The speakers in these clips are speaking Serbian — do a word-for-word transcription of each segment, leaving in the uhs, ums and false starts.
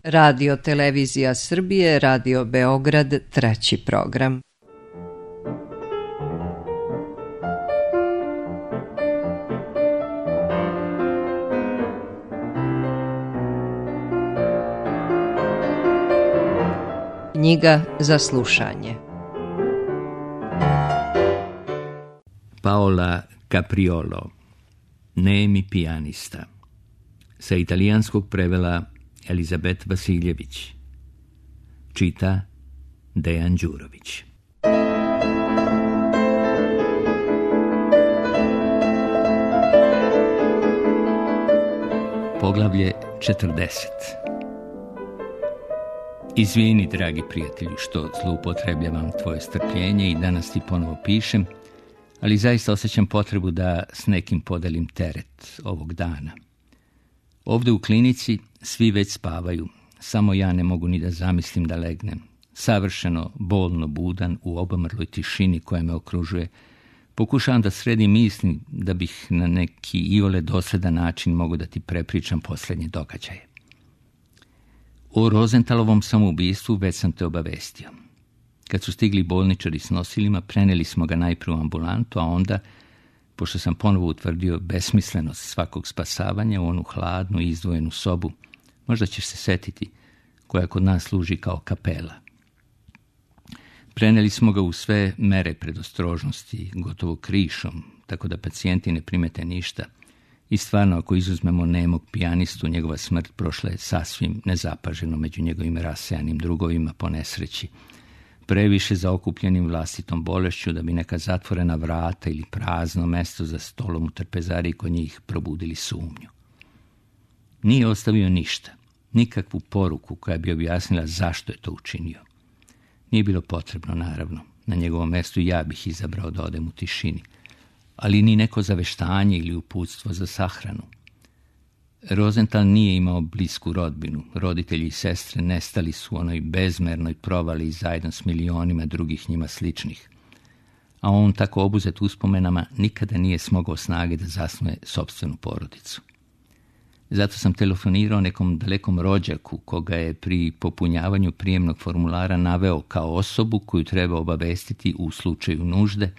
Radio Televizija Srbije, Radio Beograd, treći program. Knjiga za slušanje. Paola Capriolo, Nemi pijanista. Sa italijanskog prevela Elizabet Vasiljević. Čita Dejan Đurović. Poglavlje četrdeset. Izvini, dragi prijatelju, što zloupotrebljavam tvoje strpljenje i danas ti ponovo pišem, ali zaista osjećam potrebu da s nekim podelim teret ovog dana. Ovdje u klinici svi već spavaju, samo ja ne mogu ni da zamislim da legnem. Savršeno, bolno budan u obamrloj tišini koja me okružuje, pokušavam da sredim misli da bih na neki iole dosledan način mogu da ti prepričam posljednje događaje. O Rozentalovom samoubistvu već sam te obavestio. Kad su stigli bolničari s nosilima, preneli smo ga najprije u ambulantu, a onda, pošto sam ponovo utvrdio besmislenost svakog spasavanja, u onu hladnu i izdvojenu sobu, možda ćeš se setiti, koja kod nas služi kao kapela. Preneli smo ga u sve mere predostrožnosti, gotovo krišom, tako da pacijenti ne primete ništa. I stvarno, ako izuzmemo nemog pijanistu, njegova smrt prošla je sasvim nezapaženo među njegovim rasejanim drugovima po nesreći, previše zaokupljenim vlastitom bolešću da bi neka zatvorena vrata ili prazno mesto za stolom u trpezariji kod njih probudili sumnju. Nije ostavio ništa, nikakvu poruku koja bi objasnila zašto je to učinio. Nije bilo potrebno, naravno, na njegovom mjestu ja bih izabrao da odem u tišini, ali ni neko zaveštanje ili uputstvo za sahranu. Rozental nije imao blisku rodbinu. Roditelji i sestre nestali su u onoj bezmernoj provali zajedno s milionima drugih njima sličnih. A on, tako obuzet uspomenama, nikada nije smogao snage da zasnuje sopstvenu porodicu. Zato sam telefonirao nekom dalekom rođaku koga je pri popunjavanju prijemnog formulara naveo kao osobu koju treba obavestiti u slučaju nužde,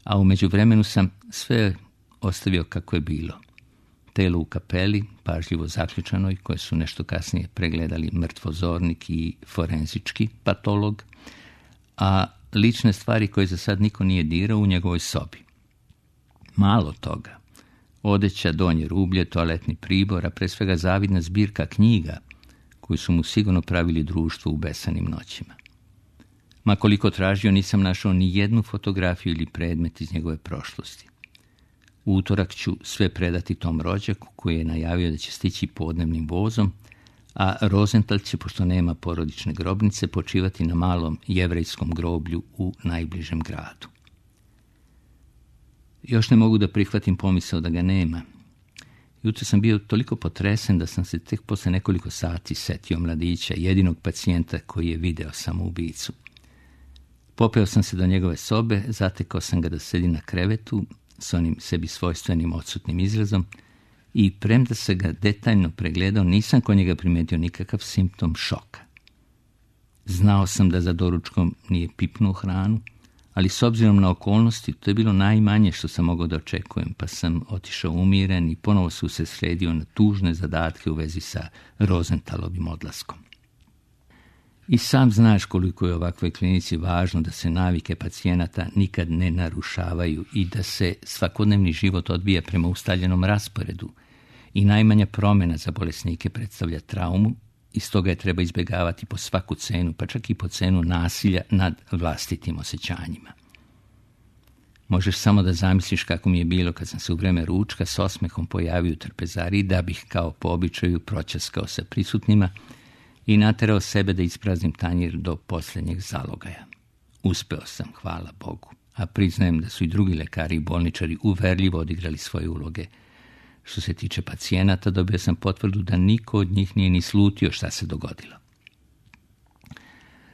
a u međuvremenu sam sve ostavio kako je bilo. Telo u kapeli, pažljivo zaključanoj, koje su nešto kasnije pregledali mrtvozornik i forenzički patolog, a lične stvari koje za sad niko nije dirao u njegovoj sobi. Malo toga. Odeća, donje rublje, toaletni pribor, a pre svega zavidna zbirka knjiga koju su mu sigurno pravili društvo u besanim noćima. Ma koliko tražio, nisam našao ni jednu fotografiju ili predmet iz njegove prošlosti. U utorak ću sve predati tom rođaku koji je najavio da će stići podnevnim vozom, a Rozental će, pošto nema porodične grobnice, počivati na malom jevrejskom groblju u najbližem gradu. Još ne mogu da prihvatim pomisao da ga nema. Jutro sam bio toliko potresen da sam se tek posle nekoliko sati setio mladića, jedinog pacijenta koji je video samoubicu. Popeo sam se do njegove sobe, zatekao sam ga da sedi na krevetu s onim sebi svojstvenim odsutnim izrazom i premda se ga detaljno pregledao, nisam kod njega primetio nikakav simptom šoka. Znao sam da za doručkom nije pipnuo hranu, ali s obzirom na okolnosti to je bilo najmanje što sam mogao da očekujem, pa sam otišao umiren i ponovo se usredsredio na tužne zadatke u vezi sa Rozentalovim odlaskom. I sam znaš koliko je ovakvoj klinici važno da se navike pacijenata nikad ne narušavaju i da se svakodnevni život odvija prema ustaljenom rasporedu i najmanja promjena za bolesnike predstavlja traumu i stoga je treba izbjegavati po svaku cenu, pa čak i po cenu nasilja nad vlastitim osjećanjima. Možeš samo da zamisliš kako mi je bilo kad sam se u vreme ručka s osmehom pojavio u trpezariji da bih kao po običaju proćaskao sa prisutnima i naterao sebe da ispraznim tanjir do posljednjeg zalogaja. Uspeo sam, hvala Bogu, a priznajem da su i drugi lekari i bolničari uverljivo odigrali svoje uloge. Što se tiče pacijenata, dobio sam potvrdu da niko od njih nije ni slutio šta se dogodilo.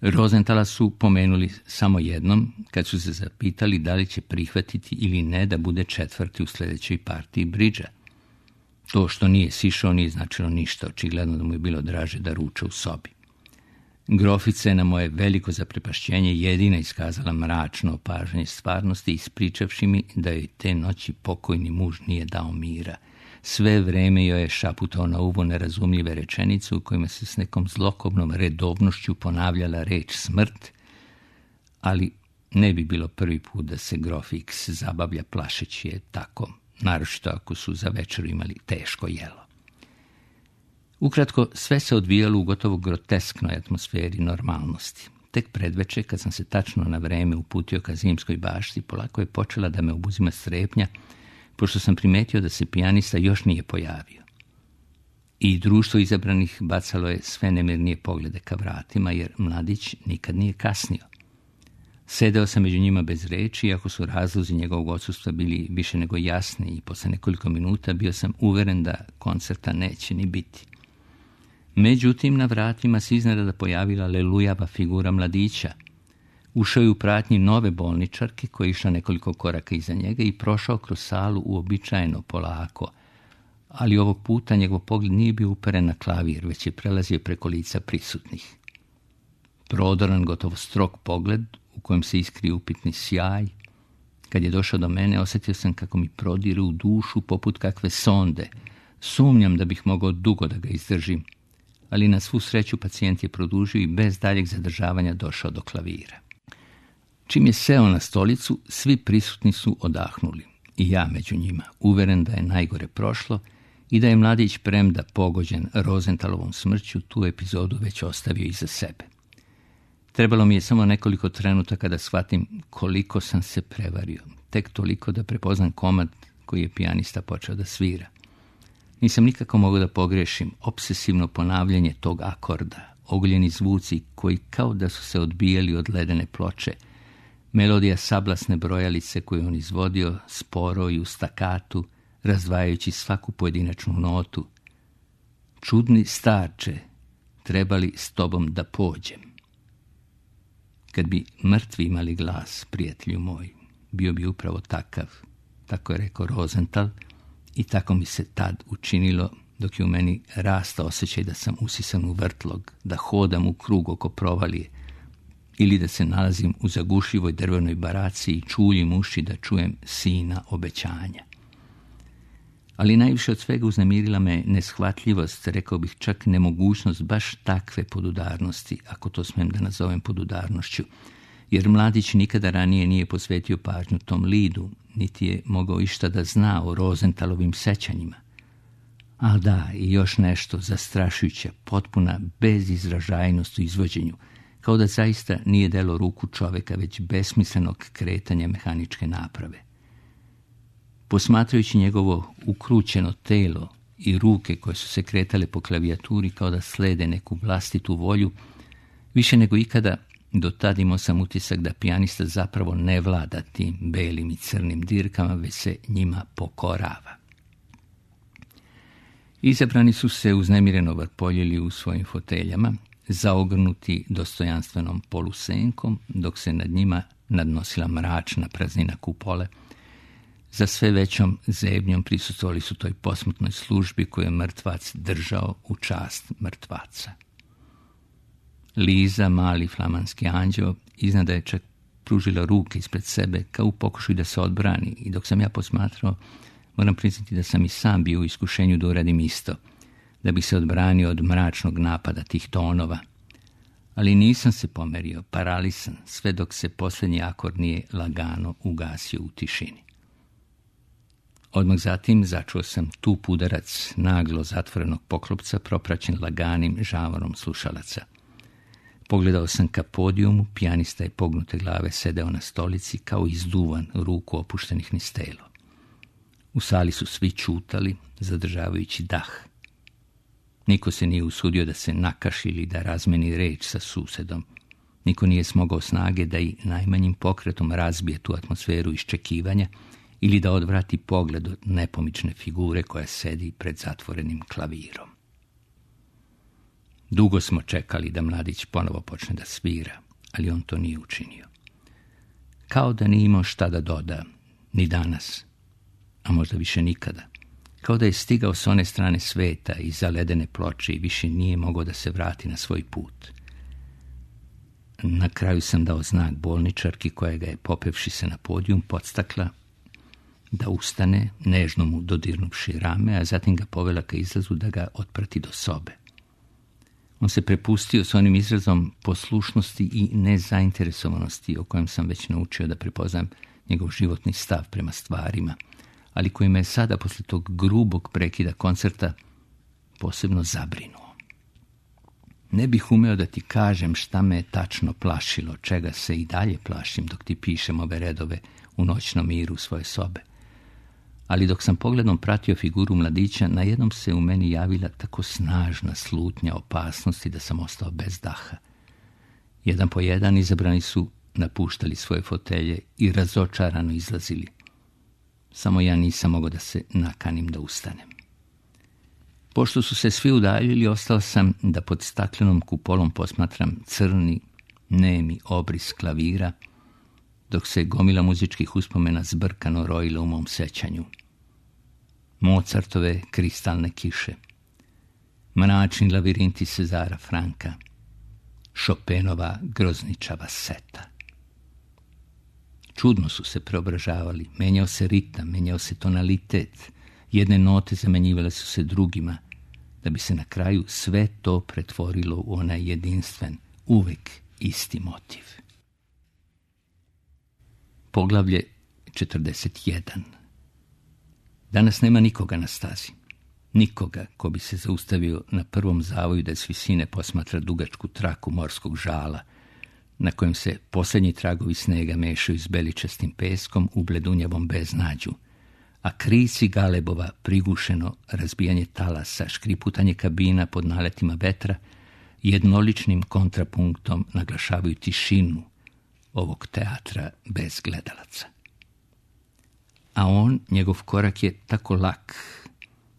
Rozentala su pomenuli samo jednom kad su se zapitali da li će prihvatiti ili ne da bude četvrti u sljedećoj partiji bridža. To što nije sišao nije značilo ništa, očigledno da mu je bilo draže da ruča u sobi. Grofica je na moje veliko zaprepašćenje jedina iskazala mračno opažanje stvarnosti, ispričavši mi da joj te noći pokojni muž nije dao mira. Sve vreme joj je šaputao na uvo nerazumljive rečenice u kojima se s nekom zlokobnom redovnošću ponavljala reč smrt, ali ne bi bilo prvi put da se grof X zabavlja plašeći je tako, naročito ako su za večeru imali teško jelo. Ukratko, sve se odvijalo u gotovo grotesknoj atmosferi normalnosti. Tek predveče, kad sam se tačno na vreme uputio ka zimskoj bašti, polako je počela da me obuzima strepnja, pošto sam primetio da se pijanista još nije pojavio. I društvo izabranih bacalo je sve nemirnije poglede ka vratima, jer mladić nikad nije kasnio. Sedeo sam među njima bez reči, iako su razlozi njegovog odsustva bili više nego jasni, i posle nekoliko minuta bio sam uveren da koncerta neće ni biti. Međutim, na vratima se iznenada pojavila lelujava figura mladića. Ušao je u pratnji nove bolničarke koja je išla nekoliko koraka iza njega i prošao kroz salu uobičajeno polako, ali ovog puta njegov pogled nije bio uperen na klavir, već je prelazio preko lica prisutnih. Prodoran, gotovo strog pogled u kojem se iskrio upitni sjaj. Kad je došao do mene, osjetio sam kako mi prodire u dušu poput kakve sonde. Sumnjam da bih mogao dugo da ga izdržim, ali na svu sreću pacijent je produžio i bez daljeg zadržavanja došao do klavira. Čim je seo na stolicu, svi prisutni su odahnuli, i ja među njima, uveren da je najgore prošlo i da je mladić, premda pogođen Rosentalovom smrću, tu epizodu već ostavio iza sebe. Trebalo mi je samo nekoliko trenutaka da shvatim koliko sam se prevario, tek toliko da prepoznam komad koji je pijanista počeo da svira. Nisam nikako mogao da pogrešim obsesivno ponavljanje tog akorda, oguljeni zvuci koji kao da su se odbijali od ledene ploče, melodija sablasne brojalice koju on izvodio sporo i u stakatu, razdvajajući svaku pojedinačnu notu. Čudni starče, trebali s tobom da pođem. Kad bi mrtvi imali glas, prijatelju moj, bio bi upravo takav, tako je rekao Rosenthal, i tako mi se tad učinilo, dok je u meni rastao osjećaj da sam usisan u vrtlog, da hodam u krug oko provalije, ili da se nalazim u zagušljivoj drvenoj baraci i čuljim uši da čujem sina obećanja. Ali najviše od svega uznemirila me neshvatljivost, rekao bih čak nemogućnost baš takve podudarnosti, ako to smijem da nazovem podudarnošću, jer mladić nikada ranije nije posvetio pažnju tom lidu, niti je mogao išta da zna o Rosenthalovim sećanjima. A da, i još nešto zastrašujuće, potpuna bezizražajnost u izvođenju, kao da zaista nije delo ruku čoveka, već besmislenog kretanja mehaničke naprave. Posmatrajući njegovo ukrućeno telo i ruke koje su se kretale po klavijaturi kao da slede neku vlastitu volju, više nego ikada do tad imao sam utisak da pijanista zapravo ne vlada tim belim i crnim dirkama, već se njima pokorava. Izabrani su se uznemireno vrpoljili u svojim foteljama, zaogrnuti dostojanstvenom polusenkom, dok se nad njima nadnosila mračna praznina kupole. Za sve većom zebnjom prisustvovali su toj posmrtnoj službi koju je mrtvac držao u čast mrtvaca. Liza, mali flamanski anđeo, iznada je čak pružila ruke ispred sebe kao u pokušaju da se odbrani, i dok sam ja posmatrao, moram priznati da sam i sam bio u iskušenju da uradim isto, da bi se odbranio od mračnog napada tih tonova. Ali nisam se pomerio, paralisan, sve dok se posljednji akord nije lagano ugasio u tišini. Odmah zatim začuo sam tup udarac naglo zatvorenog poklopca propraćen laganim žavorom slušalaca. Pogledao sam ka podijumu, pijanista je pognute glave sedeo na stolici kao izduvan, ruku opuštenih niz telo. U sali su svi čutali, zadržavajući dah. Niko se nije usudio da se nakaši ili da razmeni reč sa susedom. Niko nije smogao snage da i najmanjim pokretom razbije tu atmosferu iščekivanja ili da odvrati pogled od nepomične figure koja sedi pred zatvorenim klavirom. Dugo smo čekali da mladić ponovo počne da svira, ali on to nije učinio. Kao da nije imao šta da doda, ni danas, a možda više nikada, Kao da je stigao s one strane sveta iza ledene ploče i više nije mogao da se vrati na svoj put. Na kraju sam dao znak bolničarki koja ga je, popevši se na podijum, podstakla da ustane, nežno mu dodirnuvši rame, a zatim ga povela ka izlazu da ga otprati do sobe. On se prepustio s onim izrazom poslušnosti i nezainteresovanosti o kojem sam već naučio da prepoznam njegov životni stav prema stvarima, ali koji me je sada, posle tog grubog prekida koncerta, posebno zabrinuo. Ne bih umeo da ti kažem šta me je tačno plašilo, čega se i dalje plašim dok ti pišem ove redove u noćnom miru svoje sobe. Ali dok sam pogledom pratio figuru mladića, najednom se u meni javila tako snažna slutnja opasnosti da sam ostao bez daha. Jedan po jedan izabrani su napuštali svoje fotelje i razočarano izlazili. Samo ja nisam mogao da se nakanim da ustanem. Pošto su se svi udaljili, ostao sam da pod staklenom kupolom posmatram crni, nemi obris klavira, dok se gomila muzičkih uspomena zbrkano rojila u mom sećanju. Mozartove kristalne kiše, mračni lavirinti Cezara Franka, Chopinova grozničava seta. Čudno su se preobražavali, menjao se ritam, menjao se tonalitet, jedne note zamenjivale su se drugima, da bi se na kraju sve to pretvorilo u onaj jedinstven, uvek isti motiv. Poglavlje četrdeset jedan. Danas nema nikoga na stazi. Nikoga ko bi se zaustavio na prvom zavoju da s visine posmatra dugačku traku morskog žala, na kojem se posljednji tragovi snega mešaju s beličastim peskom u bledunjavom beznađu, a krici galebova, prigušeno razbijanje talasa, škriputanje kabina pod naletima vetra, jednoličnim kontrapunktom naglašavaju tišinu ovog teatra bez gledalaca. A on, njegov korak je tako lak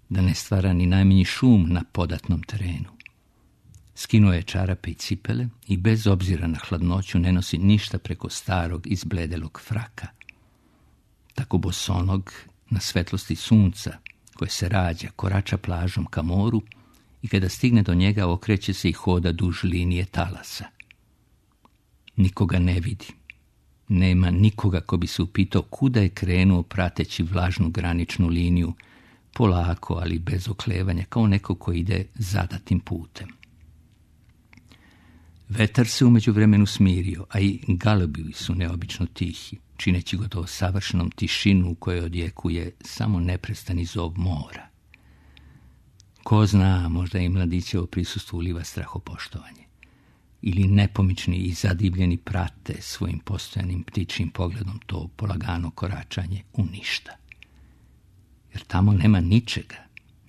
da ne stvara ni najmanji šum na podatnom terenu. Skinuo je čarape i cipele i bez obzira na hladnoću ne nosi ništa preko starog izbledelog fraka. Tako bosonog, na svetlosti sunca koje se rađa, korača plažom ka moru i kada stigne do njega okreće se i hoda duž linije talasa. Nikoga ne vidi. Nema nikoga ko bi se upitao kuda je krenuo prateći vlažnu graničnu liniju, polako, ali bez oklevanja, kao neko ko ide zadatim putem. Vetar se umeđu vremenu smirio, a i galebi su neobično tihi, čineći gotovo savršenom tišinu u kojoj odjekuje samo neprestani zov mora. Ko zna, možda i mladićevo prisustvo uliva strahopoštovanje. Ili nepomični i zadivljeni prate svojim postojanim ptičjim pogledom to polagano koračanje u ništa. Jer tamo nema ničega,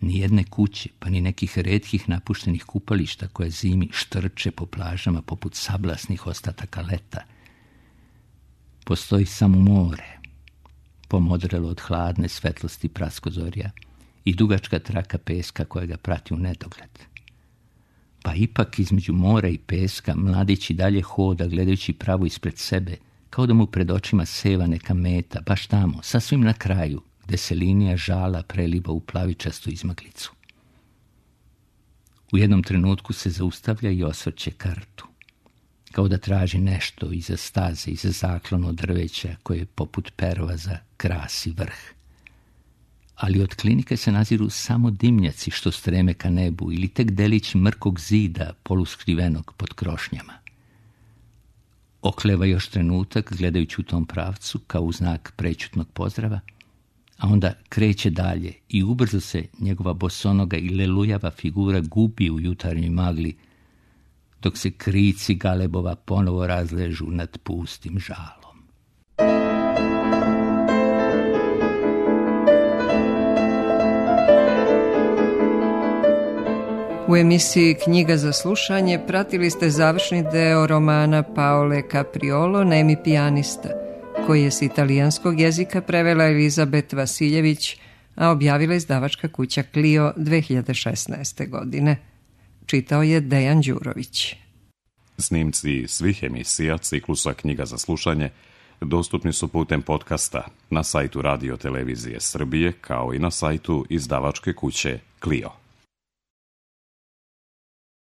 ni jedne kuće, pa ni nekih retkih napuštenih kupališta koje zimi štrče po plažama poput sablasnih ostataka leta. Postoji samo more, pomodrelo od hladne svetlosti praskozorja i dugačka traka peska koja ga prati u nedogled. Pa ipak između mora i peska mladić i dalje hoda gledajući pravo ispred sebe, kao da mu pred očima seva neka meta, baš tamo, sasvim na kraju, gde se linija žala preliva u plavičastu izmaglicu. U jednom trenutku se zaustavlja i osvrće kartu, kao da traži nešto iza staze, iza zaklono drveća koje poput pervaza krasi vrh. Ali od klinike se naziru samo dimnjaci što streme ka nebu ili tek delić mrkog zida poluskrivenog pod krošnjama. Okleva još trenutak gledajući u tom pravcu kao u znak prećutnog pozdrava, a onda kreće dalje i ubrzo se njegova bosonoga i lelujava figura gubi u jutarnjoj magli, dok se krici galebova ponovo razležu nad pustim žalom. U emisiji Knjiga za slušanje pratili ste završni deo romana Paole Capriolo Nemi pijanista, koji je s italijanskog jezika prevela Elizabet Vasiljević, a objavila izdavačka kuća Clio dve hiljade šesnaeste. godine. Čitao je Dejan Đurović. Snimci svih emisija ciklusa Knjiga za slušanje dostupni su putem podcasta na sajtu Radio Televizije Srbije, kao i na sajtu izdavačke kuće Clio.